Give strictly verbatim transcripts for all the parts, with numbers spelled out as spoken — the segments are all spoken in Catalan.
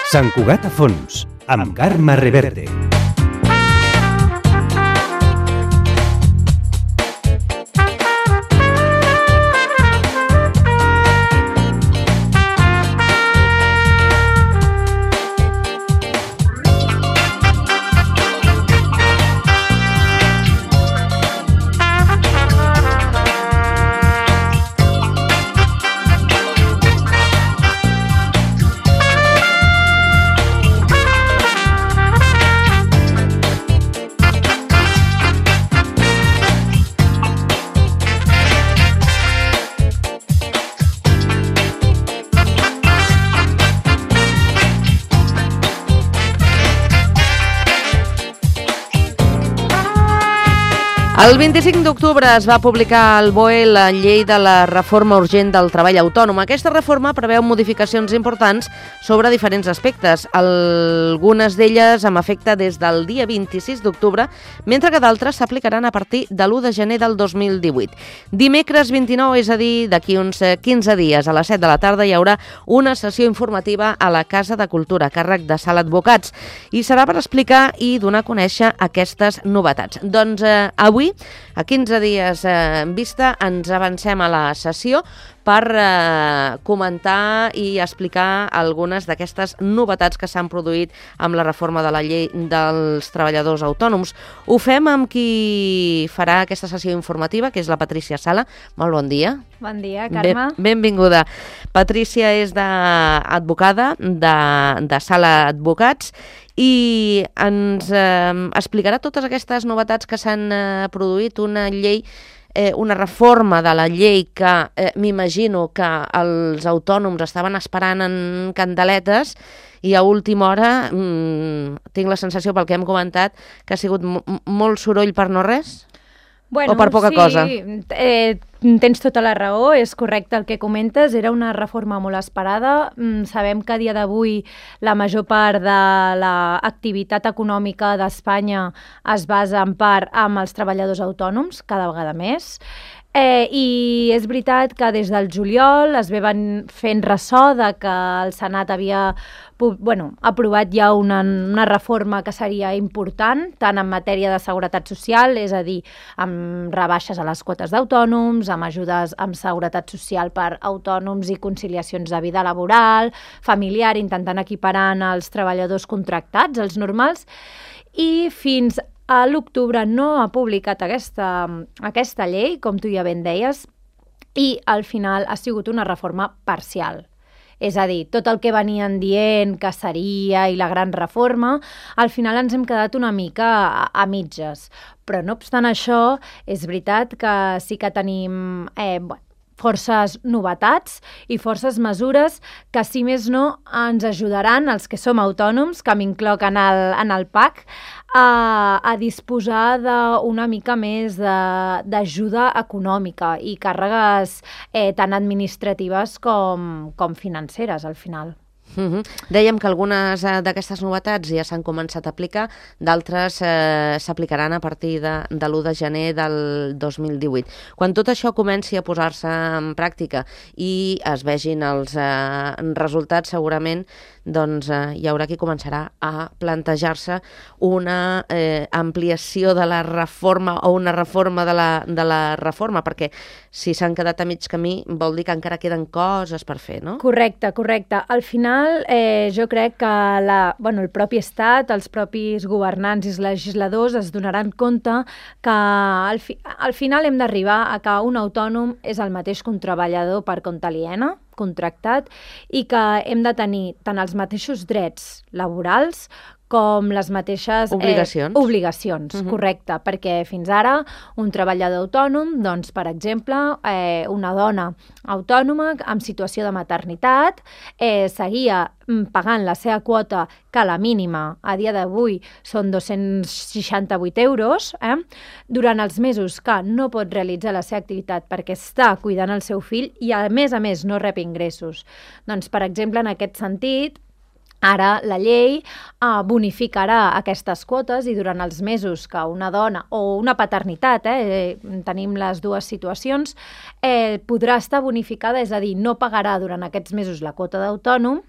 Sant Cugat a fons, amb Carme Reverte. El vint-i-cinc d'octubre es va publicar al B O E la llei de la reforma urgent del treball autònom. Aquesta reforma preveu modificacions importants sobre diferents aspectes, algunes d'elles amb efecte des del dia vint-i-sis d'octubre, mentre que d'altres s'aplicaran a partir de l'u de gener del dos mil divuit. Dimecres vint-i-nou, és a dir, d'aquí uns quinze dies, a les set de la tarda, hi haurà una sessió informativa a la Casa de Cultura, a càrrec de Sala Advocats, i serà per explicar i donar a conèixer aquestes novetats. Doncs eh, avui, a quinze dies eh, en vista, ens avancem a la sessió per eh, comentar i explicar algunes d'aquestes novetats que s'han produït amb la reforma de la llei dels treballadors autònoms. Ho fem amb qui farà aquesta sessió informativa, que és la Patrícia Sala. Molt bon dia. Bon dia, Carme. Ben, benvinguda. Patrícia és d'advocada de, de Sala Advocats i ens eh, explicarà totes aquestes novetats que s'han eh, produït, una llei, eh, una reforma de la llei que eh, m'imagino que els autònoms estaven esperant en candeletes i a última hora mmm, tinc la sensació, pel que hem comentat, que ha sigut molt soroll per no res? Bueno, o per poca sí, cosa? Eh, tens tota la raó, és correcte el que comentes, era una reforma molt esperada. Sabem que a dia d'avui la major part de l'activitat econòmica d'Espanya es basa en part amb els treballadors autònoms, cada vegada més. Eh, I és veritat que des del juliol es ve fent ressò de que el Senat havia bueno, aprovat ja una, una reforma que seria important, tant en matèria de seguretat social, és a dir, amb rebaixes a les quotes d'autònoms, amb ajudes amb seguretat social per autònoms i conciliacions de vida laboral, familiar, intentant equiparar els treballadors contractats, els normals, i fins a l'octubre no ha publicat aquesta, aquesta llei, com tu ja ben deies, i al final ha sigut una reforma parcial. És a dir, tot el que venien dient que seria i la gran reforma, al final ens hem quedat una mica a, a mitges. Però no obstant això, és veritat que sí que tenim eh, forces novetats i forces mesures que, si més no, ens ajudaran, els que som autònoms, que m'incloc en el, en el P A C, a, a disposar d'una mica més d'ajuda econòmica i càrregues eh, tant administratives com, com financeres, al final. Uh-huh. Dèiem que algunes eh, d'aquestes novetats ja s'han començat a aplicar, d'altres eh, s'aplicaran a partir de, de l'u de gener del dos mil divuit. Quan tot això comenci a posar-se en pràctica i es vegin els eh, resultats, segurament doncs, eh, hi haurà qui començarà a plantejar-se una eh, ampliació de la reforma o una reforma de la, de la reforma, perquè si s'han quedat a mig camí vol dir que encara queden coses per fer, no? Correcte, correcte. Al final, eh, jo crec que la, bueno, el propi Estat, els propis governants i els legisladors es donaran compte que al, fi, al final hem d'arribar a que un autònom és el mateix que un treballador per compte aliena, contractat, i que hem de tenir tant els mateixos drets laborals com les mateixes obligacions, eh, obligacions uh-huh. Correcte, perquè fins ara un treballador autònom, doncs, per exemple, eh, una dona autònoma en situació de maternitat eh, seguia pagant la seva quota, que la mínima a dia d'avui són dos-cents seixanta-vuit euros, eh, durant els mesos que no pot realitzar la seva activitat perquè està cuidant el seu fill i, a més a més, no rep ingressos. Doncs, per exemple, en aquest sentit, Ara la llei eh, bonificarà aquestes quotes i durant els mesos que una dona o una paternitat, eh, tenim les dues situacions, eh, podrà estar bonificada, és a dir, no pagarà durant aquests mesos la quota d'autònom,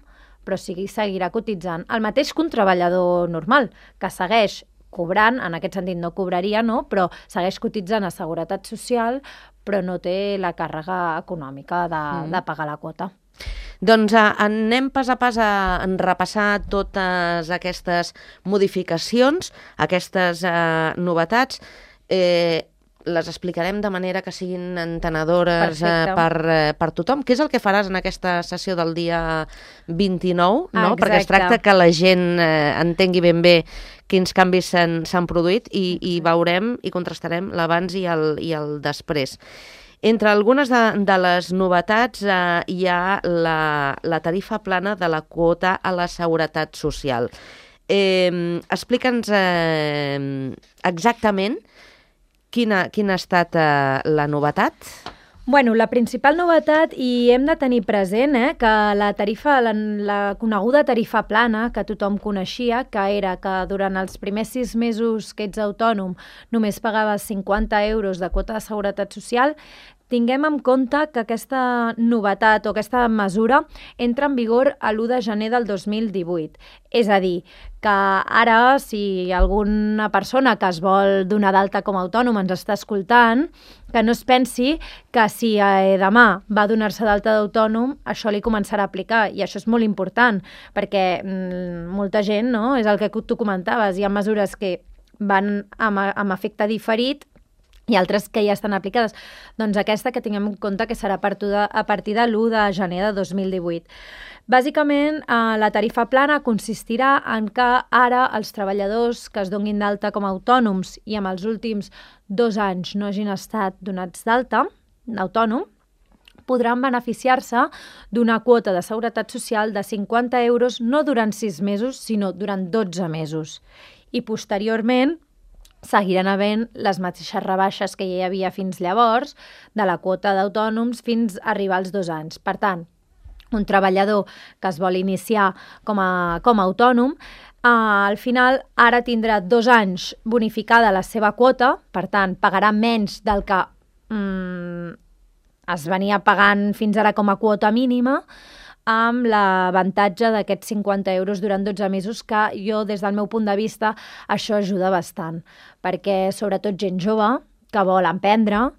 però sí, seguirà cotitzant. El mateix que un treballador normal, que segueix cobrant, en aquest sentit no cobraria, no? Però segueix cotitzant a Seguretat Social, però no té la càrrega econòmica de, mm. de pagar la quota. Doncs eh, anem pas a pas a repassar totes aquestes modificacions, aquestes eh, novetats. Eh, les explicarem de manera que siguin entenedores eh, per, eh, per tothom. Què és el que faràs en aquesta sessió del dia vint-i-nou? No? Perquè es tracta que la gent eh, entengui ben bé quins canvis s'han produït i, i veurem i contrastarem l'abans i, el, i el després. Entre algunes de, de les novetats eh, hi ha la, la tarifa plana de la quota a la Seguretat Social. Eh, Explica'ns eh, exactament quina, quina ha estat eh, la novetat. Bueno, la principal novetat, i hem de tenir present eh, que la tarifa, la, la coneguda tarifa plana que tothom coneixia, que era que durant els primers sis mesos que ets autònom només pagaves cinquanta euros de quota de Seguretat Social, tinguem en compte que aquesta novetat o aquesta mesura entra en vigor a l'u de gener del dos mil divuit. És a dir, que ara, si alguna persona que es vol donar d'alta com a autònom ens està escoltant, que no es pensi que si eh, demà va donar-se d'alta d'autònom, això li començarà a aplicar. I això és molt important, perquè mm, molta gent, no? És el que tu comentaves, hi ha mesures que van amb, amb efecte diferit i altres que ja estan aplicades. Doncs aquesta que tinguem en compte que serà a partir de l'u de gener de dos mil divuit. Bàsicament, eh, la tarifa plana consistirà en que ara els treballadors que es donin d'alta com a autònoms i amb els últims dos anys no hagin estat donats d'alta, d'autònom, podran beneficiar-se d'una quota de Seguretat Social de cinquanta euros no durant sis mesos, sinó durant dotze mesos. I posteriorment, seguiran havent les mateixes rebaixes que ja hi havia fins llavors de la quota d'autònoms fins a arribar als dos anys. Per tant, un treballador que es vol iniciar com a, com a autònom, eh, al final ara tindrà dos anys bonificada la seva quota, per tant, pagarà menys del que mm, es venia pagant fins ara com a quota mínima, amb l'avantatge d'aquests cinquanta euros durant dotze mesos, que jo, des del meu punt de vista, això ajuda bastant, perquè sobretot gent jove que vol emprendre,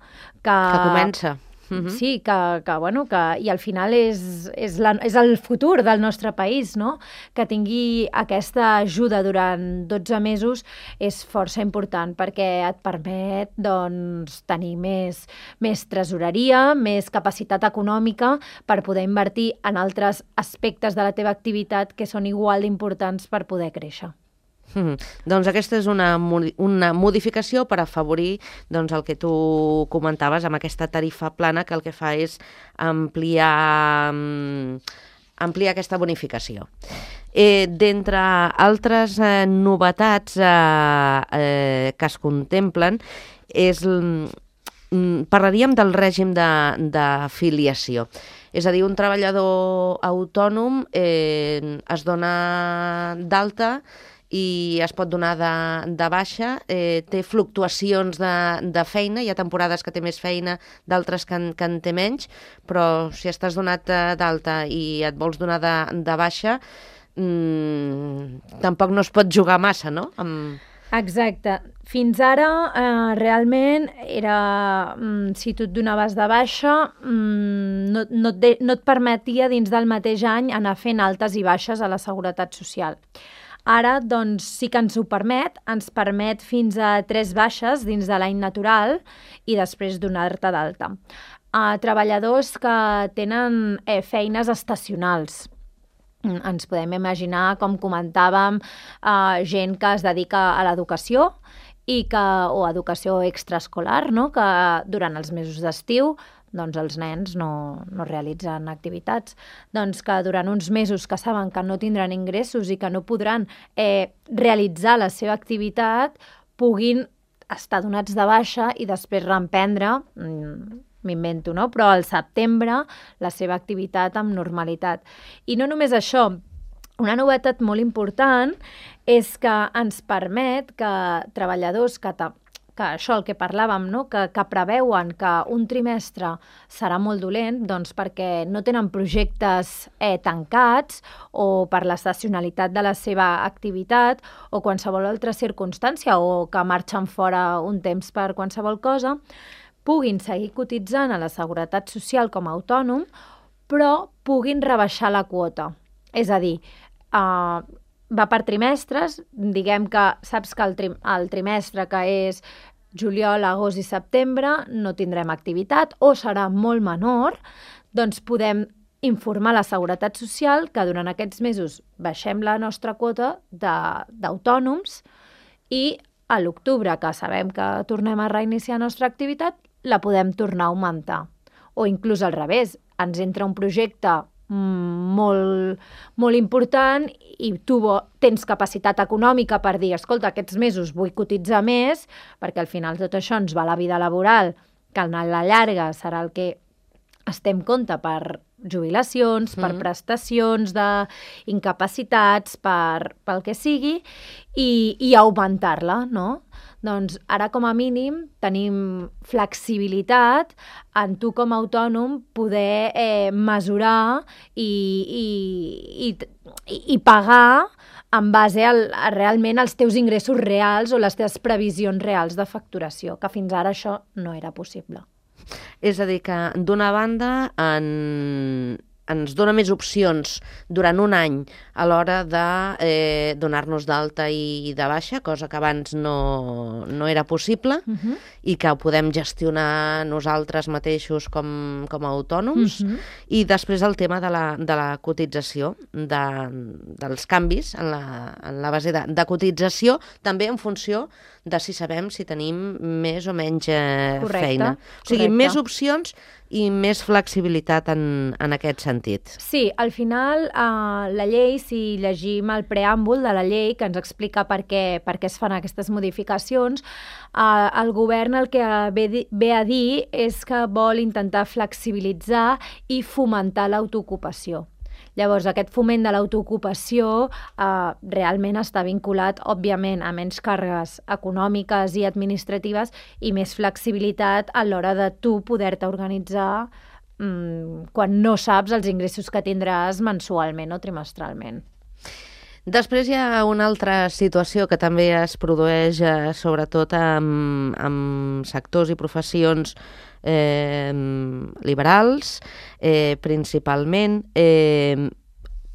que... Que comença. Uh-huh. Sí, que, que, bueno, que, i al final és, és, la, és el futur del nostre país, no? Que tingui aquesta ajuda durant dotze mesos és força important, perquè et permet, doncs, tenir més, més tresoreria, més capacitat econòmica per poder invertir en altres aspectes de la teva activitat que són igual d'importants per poder créixer. Mm. Doncs aquesta és una, una modificació per afavorir doncs, el que tu comentaves amb aquesta tarifa plana, que el que fa és ampliar, ampliar aquesta bonificació. Eh, D'entre altres eh, novetats eh, eh, que es contemplen, és, mm, parlaríem del règim d'afiliació. És a dir, un treballador autònom eh, es dona d'alta i es pot donar de, de baixa, eh, té fluctuacions de, de feina, hi ha temporades que té més feina, d'altres que, en, que en té menys, però si estàs donat d'alta i et vols donar de, de baixa, mmm, tampoc no es pot jugar massa, no? Amb... Exacte. Fins ara, eh, realment, era, mm, si tu et donaves de baixa, mm, no, no, et de, no et permetia dins del mateix any anar fent altes i baixes a la Seguretat Social. Ara, doncs, sí que ens ho permet, ens permet fins a tres baixes dins de l'any natural i després donar-te d'alta. Uh, treballadors que tenen eh, feines estacionals. Ens podem imaginar, com comentàvem, uh, gent que es dedica a l'educació i que, o educació extraescolar, no? Que durant els mesos d'estiu doncs els nens no, no realitzen activitats, doncs que durant uns mesos que saben que no tindran ingressos i que no podran eh, realitzar la seva activitat, puguin estar donats de baixa i després reemprendre, m'invento, no? Però al setembre la seva activitat amb normalitat. I no només això, una novetat molt important és que ens permet que treballadors que, ta, que això, el que parlàvem, no? que, que preveuen que un trimestre serà molt dolent, doncs perquè no tenen projectes eh, tancats o per l'estacionalitat de la seva activitat o qualsevol altra circumstància o que marxen fora un temps per qualsevol cosa, puguin seguir cotitzant a la Seguretat Social com a autònom, però puguin rebaixar la quota. És a dir, Uh, va per trimestres, diguem que saps que el, tri el trimestre que és juliol, agost i setembre no tindrem activitat o serà molt menor, doncs podem informar la Seguretat Social que durant aquests mesos baixem la nostra quota d'autònoms i a l'octubre, que sabem que tornem a reiniciar la nostra activitat, la podem tornar a augmentar. O inclús al revés, ens entra un projecte molt, molt important i tu tens capacitat econòmica per dir, escolta, aquests mesos vull cotitzar més perquè al final tot això ens va a la vida laboral, que a la llarga serà el que es té en compte per jubilacions, mm. per prestacions d'incapacitats, per, pel que sigui, i, i augmentar-la, no? Doncs ara com a mínim tenim flexibilitat en tu com a autònom poder eh, mesurar i, i, i, i pagar en base al, a realment als teus ingressos reals o les teves previsions reals de facturació, que fins ara això no era possible. És a dir, que d'una banda en... ens dona més opcions durant un any a l'hora de eh, donar-nos d'alta i de baixa, cosa que abans no, no era possible, uh-huh. i que ho podem gestionar nosaltres mateixos com, com a autònoms. Uh-huh. I després el tema de la, de la cotització, de, dels canvis en la, en la base de, de cotització, també en funció de si sabem si tenim més o menys eh, correcte, feina. O sigui, correcte. Més opcions i més flexibilitat en, en aquest sentit. Sí, al final eh, la llei, si llegim el preàmbul de la llei que ens explica per què, per què es fan aquestes modificacions, eh, el govern el que ve, ve a dir és que vol intentar flexibilitzar i fomentar l'autoocupació. Llavors, aquest foment de l'autoocupació eh, realment està vinculat, òbviament, a menys càrregues econòmiques i administratives i més flexibilitat a l'hora de tu poder-te organitzar mm, quan no saps els ingressos que tindràs mensualment o trimestralment. Després hi ha una altra situació que també es produeix eh, sobretot amb, amb sectors i professions eh, liberals, eh, principalment. Eh,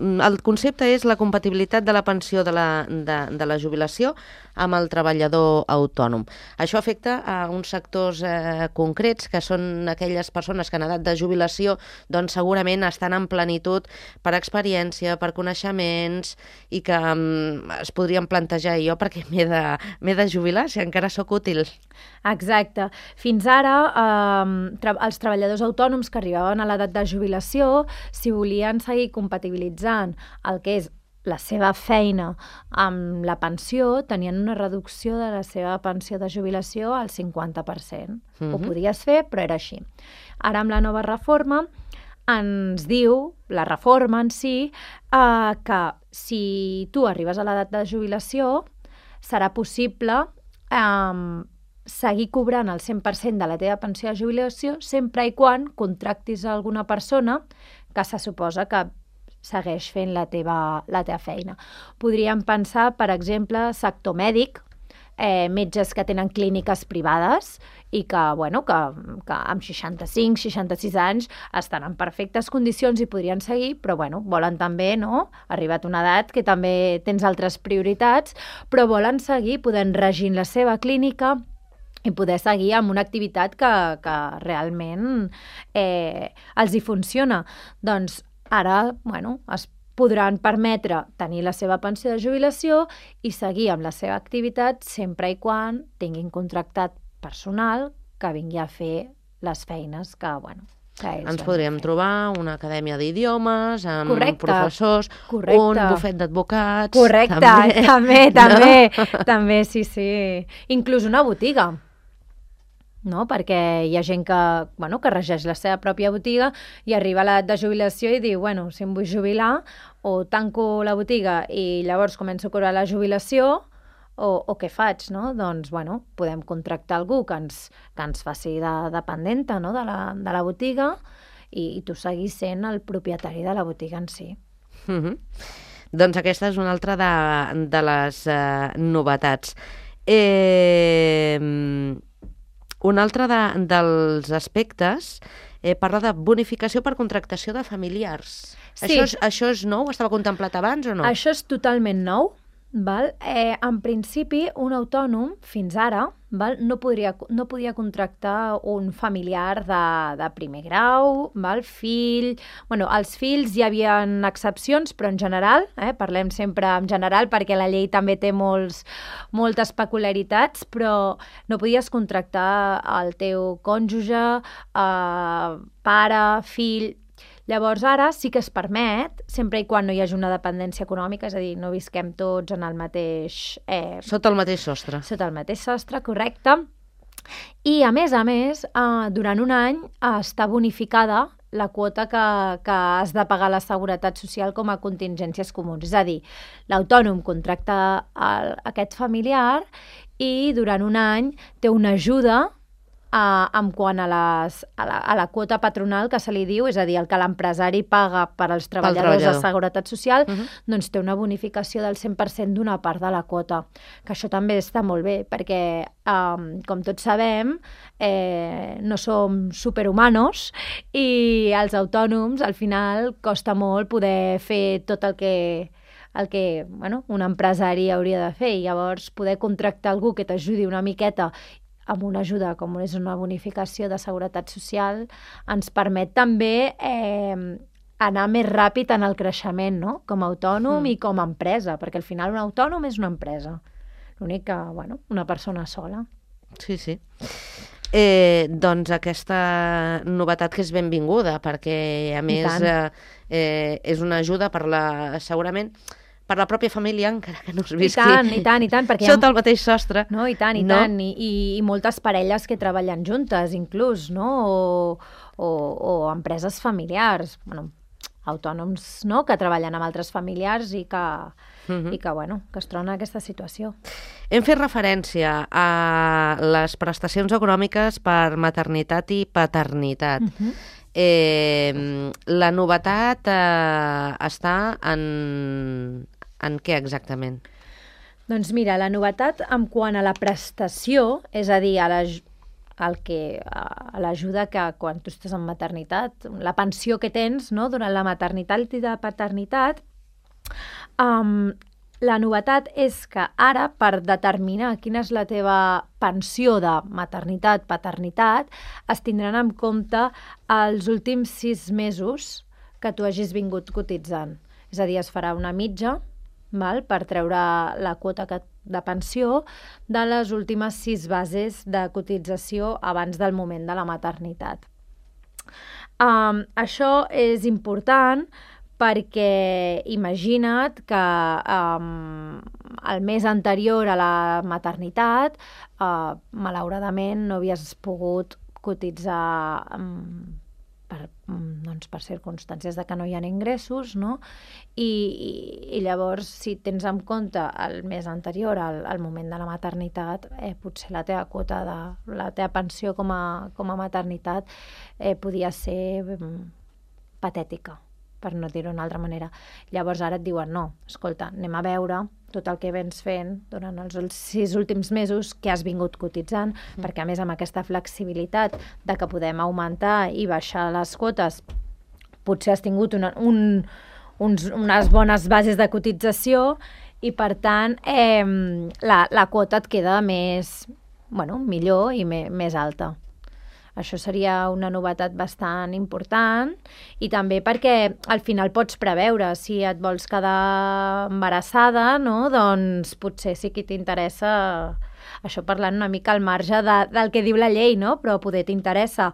el concepte és la compatibilitat de la pensió de la, de, de la jubilació amb el treballador autònom. Això afecta a uns sectors eh, concrets, que són aquelles persones que en edat de jubilació doncs segurament estan en plenitud per experiència, per coneixements, i que um, es podrien plantejar jo perquè m'he de, m'he de jubilar si encara sóc útil. Exacte. Fins ara, eh, tra els treballadors autònoms que arribaven a l'edat de jubilació, si volien seguir compatibilitzant el que és la seva feina amb la pensió, tenien una reducció de la seva pensió de jubilació al cinquanta per cent. Mm-hmm. Ho podies fer, però era així. Ara, amb la nova reforma, ens diu, la reforma en si, eh, que si tu arribes a l'edat de jubilació, serà possible eh, seguir cobrant el cent per cent de la teva pensió de jubilació sempre i quan contractis a alguna persona que se suposa que segueix fent la teva, la teva feina. Podríem pensar, per exemple, sector mèdic, eh, metges que tenen clíniques privades i que, bueno, que, que amb seixanta-cinc, seixanta-sis anys estan en perfectes condicions i podrien seguir, però bueno, volen també, no?, arribat a una edat que també tens altres prioritats, però volen seguir podent regir la seva clínica i poder seguir amb una activitat que, que realment eh, els hi funciona. Doncs ara, bueno, es podran permetre tenir la seva pensió de jubilació i seguir amb la seva activitat sempre i quan tinguin contractat personal que vingui a fer les feines que, bueno, que ells ens podríem trobar una acadèmia d'idiomes, amb correcte, professors, correcte. Un bufet d'advocats... Correcte, també, també, també, no? també, sí, sí. Inclús una botiga. no? Perquè hi ha gent que, bueno, que regeix la seva pròpia botiga i arriba a l'edat de jubilació i diu, bueno, si em vull jubilar, o tanco la botiga i llavors començo a cobrar la jubilació, o, o què faig, no? Doncs, bueno, podem contractar algú que ens, que ens faci de dependenta, no? de, la, de la botiga i, i tu seguis sent el propietari de la botiga en si. Mm-hmm. Doncs aquesta és una altra de, de les eh, novetats. Eh, un altre de, dels aspectes eh, parla de bonificació per contractació de familiars. Sí. Això, és, això és nou? Estava contemplat abans o no? Això és totalment nou. Val? Eh, en principi, un autònom, fins ara, val? No, podria, no podia contractar un familiar de, de primer grau, val? Fill... Bueno, els fills hi havia excepcions, però en general, eh, parlem sempre en general perquè la llei també té molts, moltes peculiaritats, però no podies contractar el teu cònjuge, eh, pare, fill... Llavors, ara sí que es permet, sempre i quan no hi hagi una dependència econòmica, és a dir, no visquem tots en el mateix... Eh, Sota el mateix sostre. Sota el mateix sostre, correcte. I, a més a més, eh, durant un any eh, està bonificada la quota que, que has de pagar a la Seguretat Social com a contingències comuns. És a dir, l'autònom contracta el, aquest familiar i durant un any té una ajuda Uh, en quant a, les, a, la, a la quota patronal que se li diu, és a dir, el que l'empresari paga per als treballadors de Seguretat Social, uh-huh. doncs té una bonificació del cent per cent d'una part de la quota. Que això també està molt bé, perquè, um, com tots sabem, eh, no som superhumanos i els autònoms, al final, costa molt poder fer tot el que el que bueno, un empresari hauria de fer. I llavors, poder contractar algú que t'ajudi una miqueta amb una ajuda com és una bonificació de Seguretat Social, ens permet també eh, anar més ràpid en el creixement, no? Com a autònom mm. i com a empresa, perquè al final un autònom és una empresa. L'únic que, bueno, una persona sola. Sí, sí. Eh, doncs aquesta novetat que és benvinguda, perquè a més eh, eh, és una ajuda per la, segurament, per la pròpia família, encara que no es visqui. I tant, i tant, i tant. Perquè sota ha... el mateix sostre. No, i tant, i no? tant. I, i, I moltes parelles que treballen juntes, inclús, no? O, o, o empreses familiars, bueno, autònoms, no?, que treballen amb altres familiars i que, uh-huh. i que, bueno, que es troben en aquesta situació. Hem fet referència a les prestacions econòmiques per maternitat i paternitat. Uh-huh. Eh, la novetat eh, està en... En què exactament? Doncs mira, la novetat en quant a la prestació, és a dir, a la, el que, a l'ajuda que quan tu estàs en maternitat, la pensió que tens, no?, durant la maternitat i la paternitat, um, la novetat és que ara, per determinar quina és la teva pensió de maternitat, paternitat, es tindran en compte els últims sis mesos que tu hagis vingut cotitzant. És a dir, es farà una mitja, val, per treure la quota que, de pensió de les últimes sis bases de cotització abans del moment de la maternitat. Um, això és important perquè imagina't que um, el mes anterior a la maternitat uh, malauradament no havies pogut cotitzar um, per, doncs, per circumstàncies de que no hi ha ingressos, no? I, i, i llavors, si tens en compte el mes anterior al, al moment de la maternitat, eh, potser la teva quota de la teva pensió com a, com a maternitat eh, podia ser um, patètica, per no dir-ho d'una altra manera. Llavors ara et diuen, no, escolta, anem a veure tot el que vens fent durant els sis últims mesos que has vingut cotitzant, mm. perquè a més amb aquesta flexibilitat de que podem augmentar i baixar les quotes, potser has tingut una, un, uns, unes bones bases de cotització i per tant eh, la, la quota et queda més, bueno, millor i me, més alta. Això seria una novetat bastant important i també perquè al final pots preveure si et vols quedar embarassada, no? Doncs potser sí que t'interessa, això parlant una mica al marge de, del que diu la llei, no? Però poder t'interessa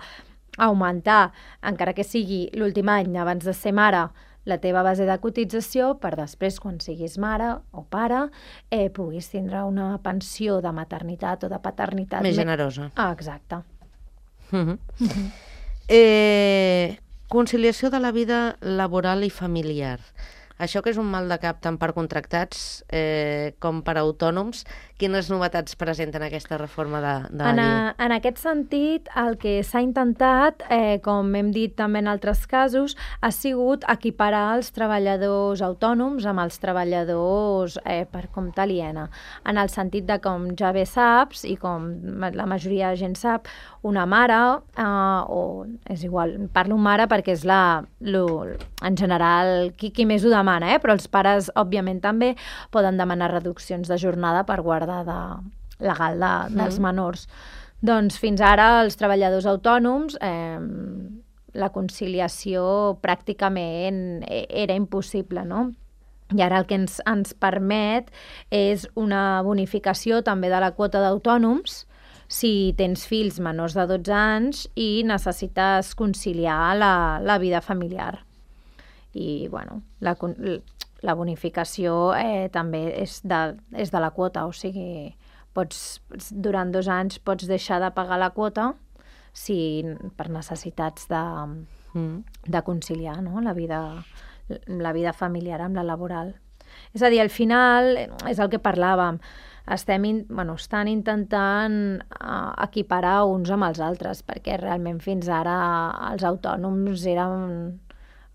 augmentar, encara que sigui l'últim any abans de ser mare, la teva base de cotització per després, quan siguis mare o pare, eh, puguis tindre una pensió de maternitat o de paternitat més generosa. Ah, exacte. Uh-huh. Uh-huh. Eh, conciliació de la vida laboral i familiar. Això que és un mal de cap tant per contractats eh, com per autònoms, quines novetats presenten aquesta reforma de, de la en, llei? a, en aquest sentit, el que s'ha intentat, eh, com hem dit també en altres casos, ha sigut equiparar els treballadors autònoms amb els treballadors eh, per compte aliena. En el sentit de, com ja bé saps, i com la majoria de gent sap, una mare, eh, o és igual, parlo mare perquè és la, lo, en general, qui, qui més ho demana, eh? Però els pares, òbviament, també poden demanar reduccions de jornada per guardar de legal de, dels menors. Doncs fins ara els treballadors autònoms eh, la conciliació pràcticament era impossible, no? I ara el que ens, ens permet és una bonificació també de la quota d'autònoms si tens fills menors de dotze anys i necessites conciliar la, la vida familiar. I, bueno, la, la bonificació eh, també és de, és de la quota, o sigui, pots, durant dos anys pots deixar de pagar la quota si, per necessitats de, de conciliar, no? la, vida, la vida familiar amb la laboral. És a dir, al final, és el que parlàvem, estem in, bueno, estan intentant uh, equiparar uns amb els altres, perquè realment fins ara els autònoms eren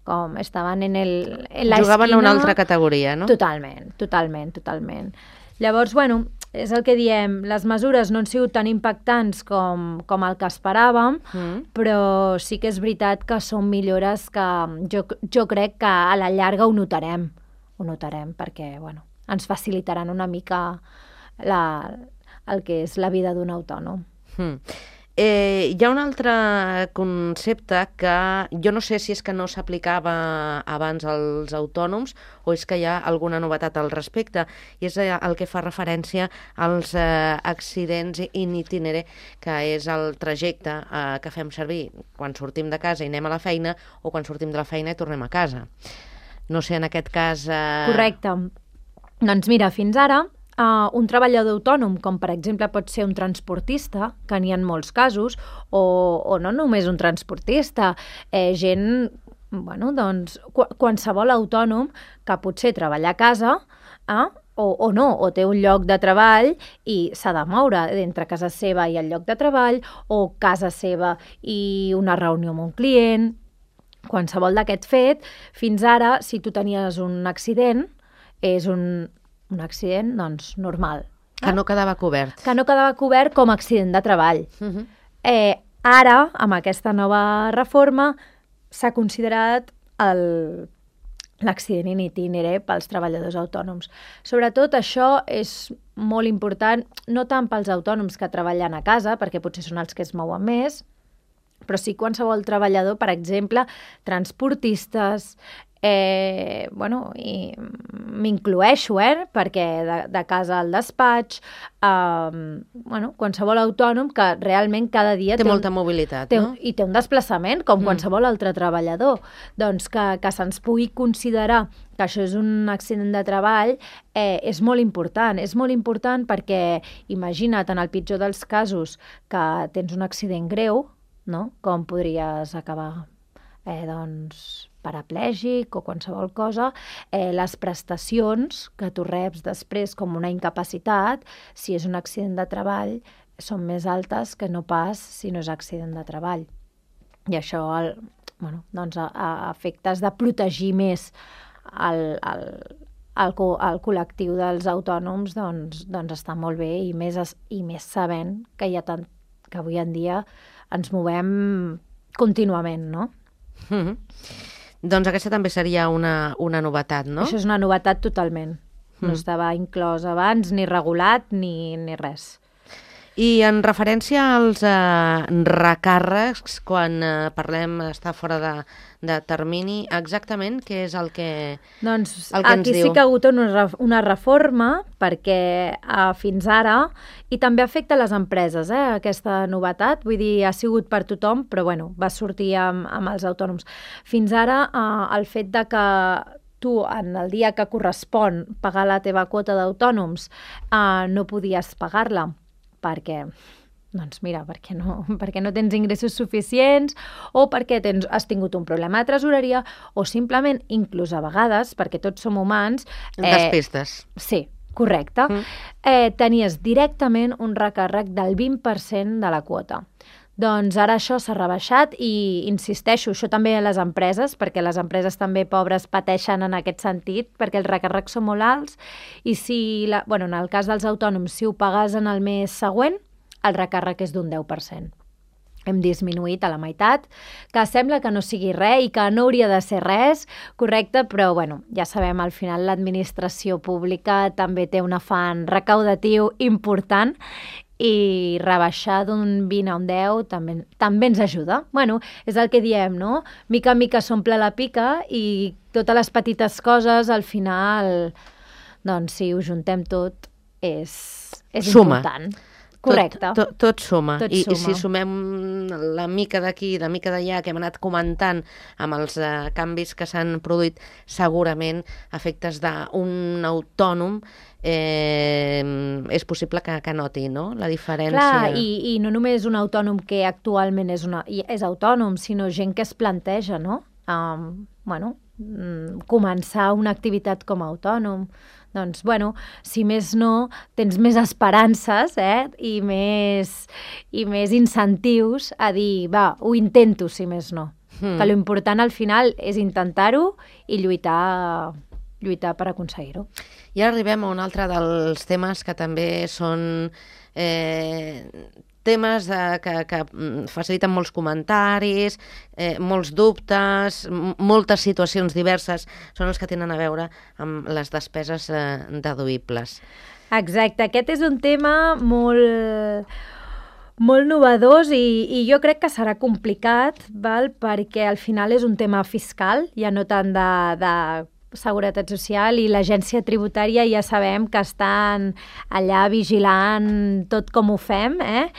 com estaven en, el, en la Jugaven esquina. a una altra categoria, no? Totalment, totalment, totalment. Llavors, bueno, és el que diem, les mesures no han sigut tan impactants com, com el que esperàvem, mm. però sí que és veritat que són millores que jo, jo crec que a la llarga ho notarem, ho notarem, perquè, bueno, ens facilitaran una mica la, el que és la vida d'un autònom. Mm. Eh, hi ha un altre concepte que jo no sé si és que no s'aplicava abans als autònoms o és que hi ha alguna novetat al respecte, i és el que fa referència als eh, accidents in itinere, que és el trajecte eh, que fem servir quan sortim de casa i anem a la feina o quan sortim de la feina i tornem a casa. No sé, en aquest cas... Eh... Correcte. Doncs mira, fins ara Uh, un treballador autònom, com per exemple pot ser un transportista, que n'hi ha molts casos, o, o no només un transportista, eh, gent, bueno, doncs, qu qualsevol autònom que potser treballa a casa, eh, o, o no, o té un lloc de treball i s'ha de moure entre casa seva i el lloc de treball, o casa seva i una reunió amb un client, qualsevol d'aquest fet. Fins ara, si tu tenies un accident, és un... un accident, doncs, normal. Que no quedava cobert. Que no quedava cobert com a accident de treball. Uh-huh. eh, ara, amb aquesta nova reforma, s'ha considerat l'accident in itinere pels treballadors autònoms. Sobretot això és molt important, no tant pels autònoms que treballen a casa, perquè potser són els que es mouen més, però sí qualsevol treballador, per exemple, transportistes, Eh, bueno, i m'incloeixo, eh, perquè de, de casa al despatx, eh, bueno, qualsevol autònom que realment cada dia... Té, té un, molta mobilitat, té, no? I té un desplaçament, com mm. qualsevol altre treballador. Doncs que, que se'ns pugui considerar que això és un accident de treball eh, és molt important. És molt important perquè, imagina't, en el pitjor dels casos, que tens un accident greu, no? Com podries acabar, eh, doncs... paraplègic o qualsevol cosa, eh, les prestacions que tu reps després com una incapacitat, si és un accident de treball, són més altes que no pas si no és accident de treball. I això, el, bueno, doncs a, a efectes de protegir més el, el, el, el col·lectiu dels autònoms, doncs, doncs està molt bé, i més, i més sabent que hi ha tant, que avui en dia ens movem contínuament, no? Mm-hmm. Doncs aquesta també seria una, una novetat, no? Això és una novetat totalment. No mm. estava inclòs abans, ni regulat, ni, ni res. I en referència als eh, recàrrecs, quan eh, parlem estar fora de, de termini, exactament què és el que, doncs, el que ens diu? Aquí sí que ha hagut una, una reforma, perquè eh, fins ara, i també afecta les empreses, eh, aquesta novetat, vull dir, ha sigut per tothom, però bueno, va sortir amb, amb els autònoms. Fins ara, eh, el fet de que tu, en el dia que correspon pagar la teva quota d'autònoms, eh, no podies pagar-la, perquè Doncs mira, perquè no, perquè no tens ingressos suficients o perquè tens, has tingut un problema de tresoreria o simplement, inclús a vegades, perquè tots som humans... Eh, Despistes. Sí, correcte. Mm. Eh, tenies directament un recàrrec del vint per cent de la quota. Doncs ara això s'ha rebaixat i insisteixo, això també a les empreses, perquè les empreses també pobres pateixen en aquest sentit, perquè els recàrrecs són molt alts i si, la, bueno, en el cas dels autònoms, si ho pagues en el mes següent, el recàrrec és d'un deu per cent. Hem disminuït a la meitat, que sembla que no sigui res i que no hauria de ser res, correcte, però bueno, ja sabem, al final l'administració pública també té un afany recaudatiu important i rebaixar d'un vint a un deu també, també ens ajuda. Bueno, és el que diem, no? Mica en mica s'omple la pica i totes les petites coses, al final, doncs si ho juntem tot, és, és important. Correcte. Tot, tot, tot suma. Tot I, suma. I si sumem la mica d'aquí, la mica d'allà que hem anat comentant amb els eh, canvis que s'han produït, segurament efectes d'un autònom eh, és possible que, que noti, no?, la diferència. Clar, i, i no només un autònom que actualment és, una, és autònom, sinó gent que es planteja, no?, um, bueno, començar una activitat com a autònom. Doncs, bueno, si més no, tens més esperances eh? I, més, i més incentius a dir, va, ho intento, si més no. Mm. Que l'important al final és intentar-ho i lluitar, lluitar per aconseguir-ho. I ara arribem a un altre dels temes que també són eh, temes de, que, que faciliten molts comentaris, eh, molts dubtes, moltes situacions diverses, són els que tenen a veure amb les despeses eh, deduïbles. Exacte, aquest és un tema molt, molt novedós i, i jo crec que serà complicat, val? Perquè al final és un tema fiscal, ja no tant de, de Seguretat Social, i l'agència tributària ja sabem que estan allà vigilant tot com ho fem, eh?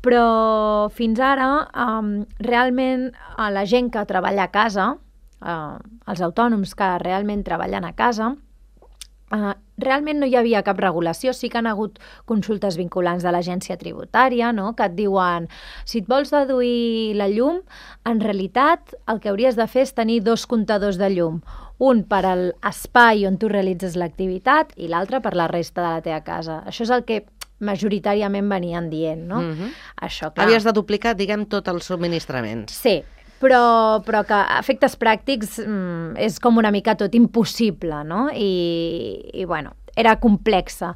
Però fins ara um, realment a la gent que treballa a casa, uh, els autònoms que realment treballen a casa, uh, realment no hi havia cap regulació. Sí que han hagut consultes vinculants de l'agència tributària, no?, que et diuen, si et vols deduir la llum, en realitat el que hauries de fer és tenir dos comptadors de llum, un per a l'espai on tu realitzes l'activitat i l'altre per la resta de la teva casa. Això és el que majoritàriament venien dient, no? Mm-hmm. Això, clar. Havies de duplicar, diguem, tots els subministraments. Sí, però, però que a efectes pràctics mm, és com una mica tot impossible, no? I, i bueno, era complexa.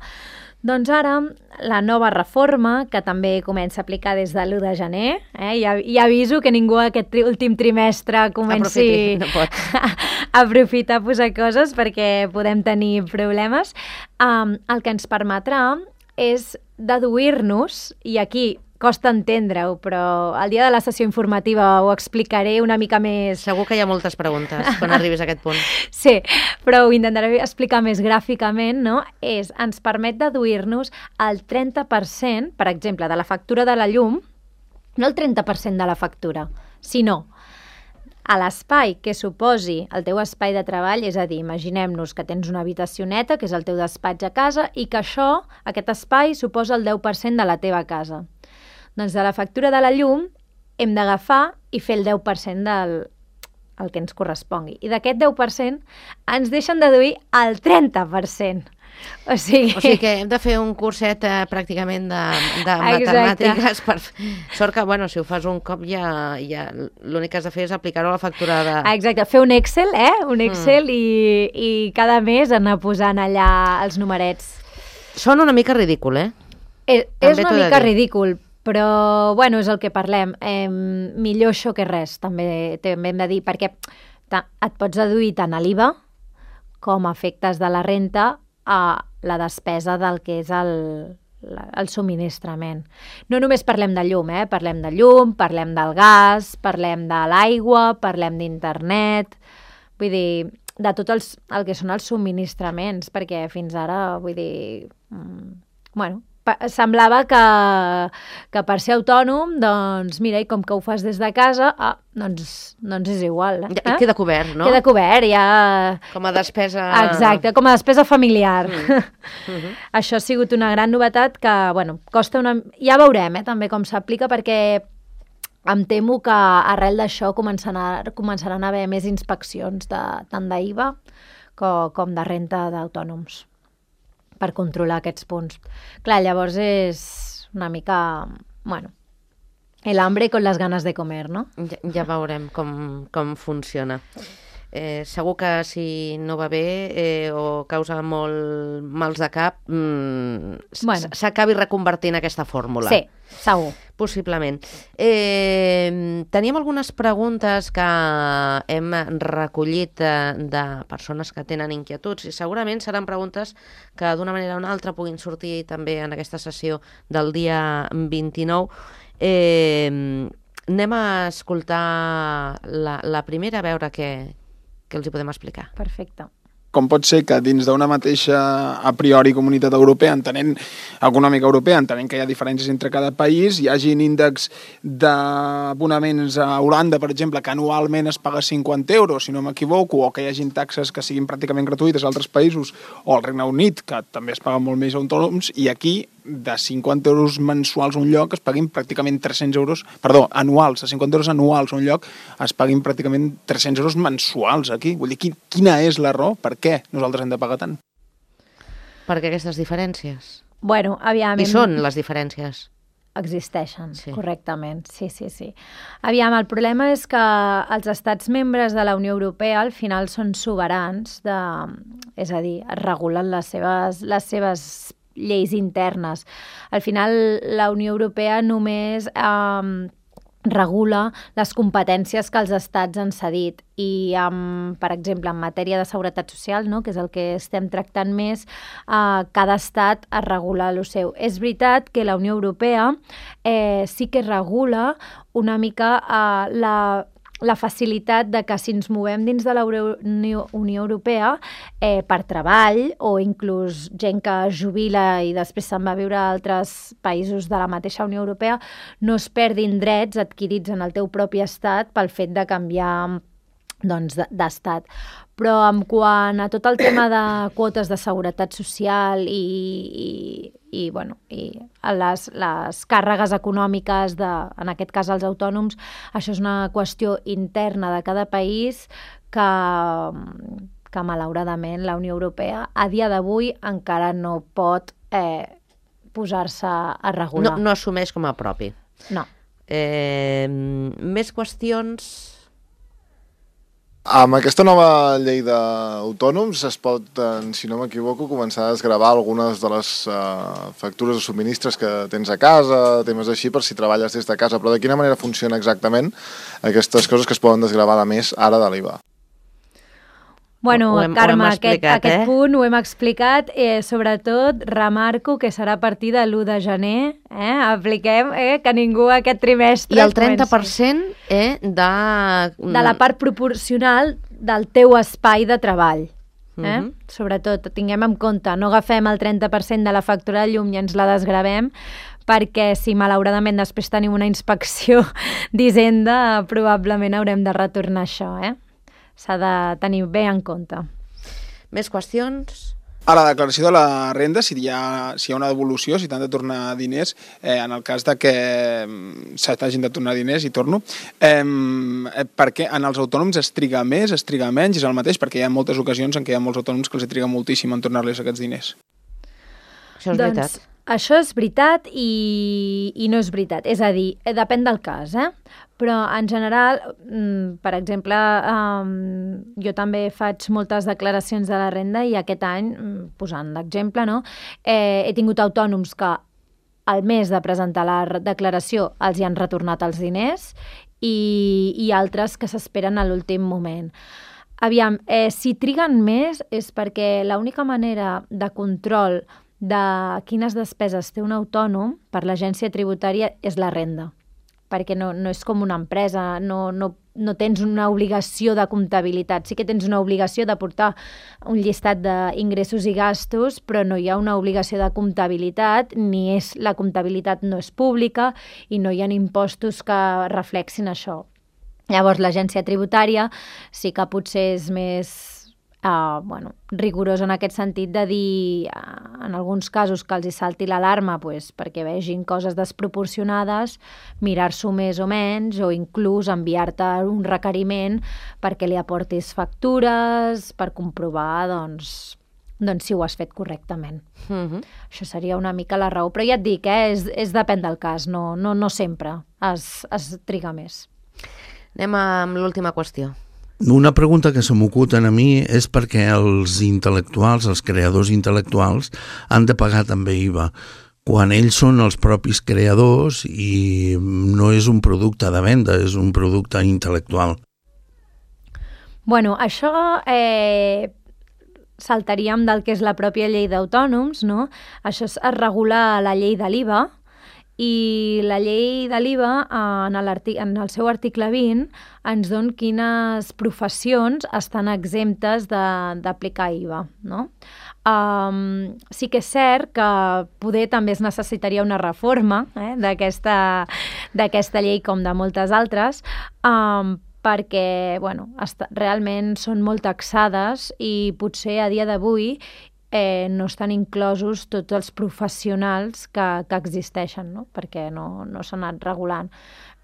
Doncs ara, la nova reforma, que també comença a aplicar des de l'u de gener, eh? ja, ja aviso que ningú aquest tri últim trimestre comenci Aprofiti, no pot. a aprofitar a posar coses perquè podem tenir problemes, um, el que ens permetrà és deduir-nos, i aquí costa entendre-ho, però el dia de la sessió informativa ho explicaré una mica més... Segur que hi ha moltes preguntes quan arribis a aquest punt. Sí, però ho intentaré explicar més gràficament, no? És, ens permet deduir-nos el trenta per cent, per exemple, de la factura de la llum, no el trenta per cent de la factura, sinó a l'espai que suposi el teu espai de treball, és a dir, imaginem-nos que tens una habitació neta, que és el teu despatx a casa, i que això, aquest espai, suposa el deu per cent de la teva casa. Doncs de la factura de la llum hem d'agafar i fer el deu per cent del el que ens correspongui. I d'aquest deu per cent ens deixen deduir el trenta per cent. O sigui... o sigui que hem de fer un curset eh, pràcticament de, de matemàtiques. Per... Sort que, bueno, si ho fas un cop ja, ja l'únic que has de fer és aplicar-ho a la factura de... Exacte, fer un Excel, eh? Un Excel mm. i, i cada mes anar posant allà els numerets. Sona una mica ridícul, eh? És, és una mica ridícul, però, bueno, és el que parlem. Eh, millor això que res, també, també hem de dir, perquè et pots deduir tant a l'I V A com a efectes de la renta a la despesa del que és el, el subministrament. No només parlem de llum, eh? Parlem de llum, parlem del gas, parlem de l'aigua, parlem d'internet, vull dir, de tot els, el que són els subministraments, perquè fins ara, vull dir, mm, bueno, semblava que, que per ser autònom, doncs mira, i com que ho fas des de casa, ah, doncs, doncs és igual. Eh? Ja, queda cobert, no? Queda cobert, ja... Com a despesa... Exacte, com a despesa familiar. Mm. Mm-hmm. Això ha sigut una gran novetat que, bueno, costa una... Ja veurem, eh, també, com s'aplica, perquè em temo que arrel d'això començaran, començaran a haver més inspeccions de, tant d'I V A com, com de renta d'autònoms, per controlar aquests punts. Clar, llavors és una mica, bueno, el hambre con las ganas de comer, no? Ja, ja veurem com, com funciona. Eh, segur que si no va bé eh, o causa molt mals de cap, mmm, bueno. s'acabi reconvertint aquesta fórmula. Sí, segur. Possiblement. Eh, teníem algunes preguntes que hem recollit de, de persones que tenen inquietuds i segurament seran preguntes que d'una manera o una altra puguin sortir també en aquesta sessió del dia vint-i-nou. Eh, anem a escoltar la, la primera, a veure què, què els hi podem explicar. Perfecte. Com pot ser que dins d'una mateixa a priori comunitat europea, entenent econòmica europea, entenent que hi ha diferències entre cada país, hi hagi índexs d'abonaments a Holanda, per exemple, que anualment es paga cinquanta euros, si no m'equivoco, o que hi hagin taxes que siguin pràcticament gratuïtes a altres països, o al Regne Unit, que també es paga molt més a autònoms, i aquí de cinquanta euros mensuals a un lloc es paguin pràcticament tres-cents euros, perdó, anuals, de cinquanta euros anuals a un lloc es paguin pràcticament tres-cents euros mensuals aquí. Vull dir, quina és la raó? Per què nosaltres hem de pagar tant? Per què aquestes diferències? Bueno, aviam... I són les diferències? Existeixen, sí. Correctament, sí, sí, sí. Aviam, el problema és que els estats membres de la Unió Europea al final són soberans, de, és a dir, regulen les seves, les seves lleis internes. Al final, la Unió Europea només eh, regula les competències que els estats han cedit i, um, per exemple, en matèria de seguretat social, no?, que és el que estem tractant més, eh, cada estat es regula el seu. És veritat que la Unió Europea eh, sí que regula una mica eh, la la facilitat de que si ens movem dins de la Unió, Unió Europea eh, per treball o inclús gent que es jubila i després se'n va a viure a altres països de la mateixa Unió Europea, no es perdin drets adquirits en el teu propi estat pel fet de canviar doncs, d'estat. Però en quant a tot el tema de quotes de seguretat social i, i, i, bueno, i les, les càrregues econòmiques, de, en aquest cas els autònoms, això és una qüestió interna de cada país que, que malauradament la Unió Europea a dia d'avui encara no pot eh, posar-se a regular. No, no assumeix com a propi. No. Eh, més qüestions... Amb aquesta nova llei d'autònoms es pot, si no m'equivoco, començar a desgravar algunes de les uh, factures de subministres que tens a casa, temes així, per si treballes des de casa. Però de quina manera funciona exactament aquestes coses que es poden desgravar de més ara de l'I V A? Bueno, hem, Carme, aquest, explicat, aquest eh? punt ho hem explicat, eh, sobretot remarco que serà a partir de l'u de gener, eh? Apliquem eh, que ningú aquest trimestre... I el trenta per cent eh, de... De la part proporcional del teu espai de treball. Eh? Uh-huh. Sobretot, tinguem en compte, no agafem el trenta per cent de la factura de llum i ens la desgravem, perquè si malauradament després tenim una inspecció d'Hisenda, probablement haurem de retornar això, eh? S'ha de tenir bé en compte. Més qüestions? A la declaració de la renda, si hi ha, si hi ha una devolució, si t'han de tornar diners, eh, en el cas de que se t'hagin de tornar diners, i torno, eh, perquè en els autònoms es triga més, es triga menys, és el mateix, perquè hi ha moltes ocasions en què hi ha molts autònoms que els triga moltíssim en tornar-los aquests diners. Això és doncs, veritat. Això és veritat i, i no és veritat. És a dir, depèn del cas, eh? Però en general, per exemple, jo també faig moltes declaracions de la renda i aquest any, posant d'exemple, no? eh, he tingut autònoms que al mes de presentar la declaració els hi han retornat els diners i, i altres que s'esperen a l'últim moment. Aviam, eh, si triguen més és perquè l'única manera de control de quines despeses té un autònom per l'agència tributària és la renda. perquè no, no és com una empresa, no, no, no tens una obligació de comptabilitat. Sí que tens una obligació de portar un llistat d'ingressos i gastos, però no hi ha una obligació de comptabilitat, ni és, la comptabilitat no és pública i no hi ha impostos que reflexin això. Llavors, l'agència tributària sí que potser és més uh, bueno, rigorós en aquest sentit de dir, uh, en alguns casos, que els hi salti l'alarma pues, perquè vegin coses desproporcionades, mirar-s'ho més o menys, o inclús enviar-te un requeriment perquè li aportis factures, per comprovar doncs, doncs si ho has fet correctament. Uh-huh. Això seria una mica la raó. Però ja et dic, eh, és, és depèn del cas, no, no, no sempre es, es triga més. Anem amb l'última qüestió. Una pregunta que se m'ocuten a mi és perquè els intel·lectuals, els creadors intel·lectuals, han de pagar també I V A, quan ells són els propis creadors i no és un producte de venda, és un producte intel·lectual. Bueno, això eh, saltaríem del que és la pròpia llei d'autònoms, no? Això es regula a la llei de l'I V A, i la llei de l'I V A en, en el seu article vint ens dona quines professions estan exemptes d'aplicar I V A. No? Um, sí que és cert que poder també es necessitaria una reforma eh, d'aquesta d'aquesta llei com de moltes altres, um, perquè bueno, està, realment són molt taxades i potser a dia d'avui Eh, no estan inclosos tots els professionals que, que existeixen, no? Perquè no, no s'han anat regulant.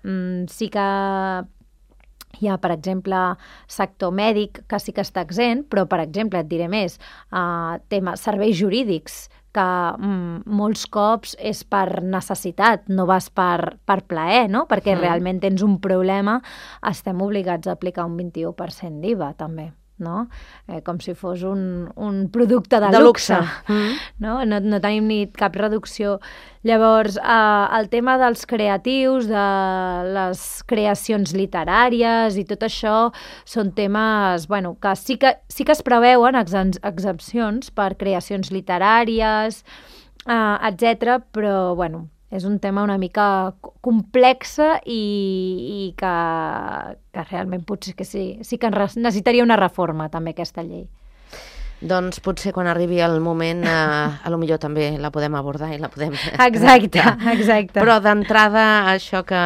Mm, sí que hi ha, per exemple, sector mèdic que sí que està exempt, però, per exemple, et diré més, eh, tema serveis jurídics, que mm, molts cops és per necessitat, no vas per, per plaer, no? Perquè mm. realment tens un problema, estem obligats a aplicar un vint-i-u per cent d'I V A, també. No? Eh, com si fos un, un producte de, de luxe, luxe. Mm. No? No, no tenim ni cap reducció. Llavors, eh, el tema dels creatius, de les creacions literàries i tot això són temes bueno, que, sí que sí que es preveuen exempcions per creacions literàries, eh, etcètera, però bueno, és un tema una mica complexa i, i que, que realment potser que sí, sí que necessitaria una reforma també aquesta llei. Doncs potser quan arribi el moment eh, a lo millor també la podem abordar i la podem... Exacte, exacte. Però d'entrada això que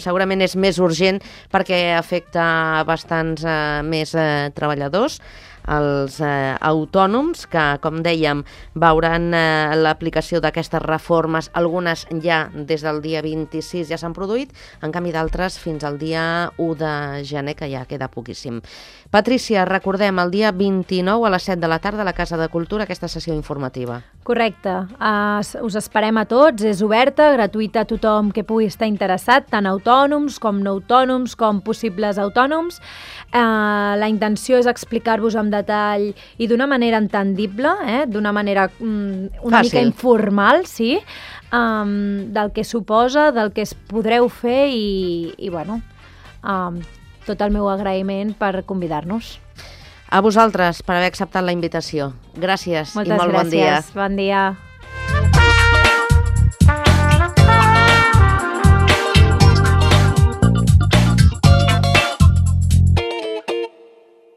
segurament és més urgent perquè afecta bastants eh, més eh, treballadors, els eh, autònoms que, com dèiem, veuran eh, l'aplicació d'aquestes reformes, algunes ja des del dia vint-i-sis ja s'han produït, en canvi d'altres fins al dia u de gener, que ja queda poquíssim. Patrícia, recordem, el dia vint-i-nou a les set de la tarda a la Casa de Cultura, aquesta sessió informativa. Correcte. Uh, us esperem a tots, és oberta, gratuïta a tothom que pugui estar interessat, tant autònoms com no autònoms, com possibles autònoms. Uh, la intenció és explicar-vos amb detall i d'una manera entendible, eh? D'una manera um, una Fàcil. mica informal, sí, um, del que suposa, del que es podreu fer i, i bueno, um, tot el meu agraïment per convidar-nos. A vosaltres per haver acceptat la invitació. Gràcies Moltes i molt gràcies. bon dia. Bon dia.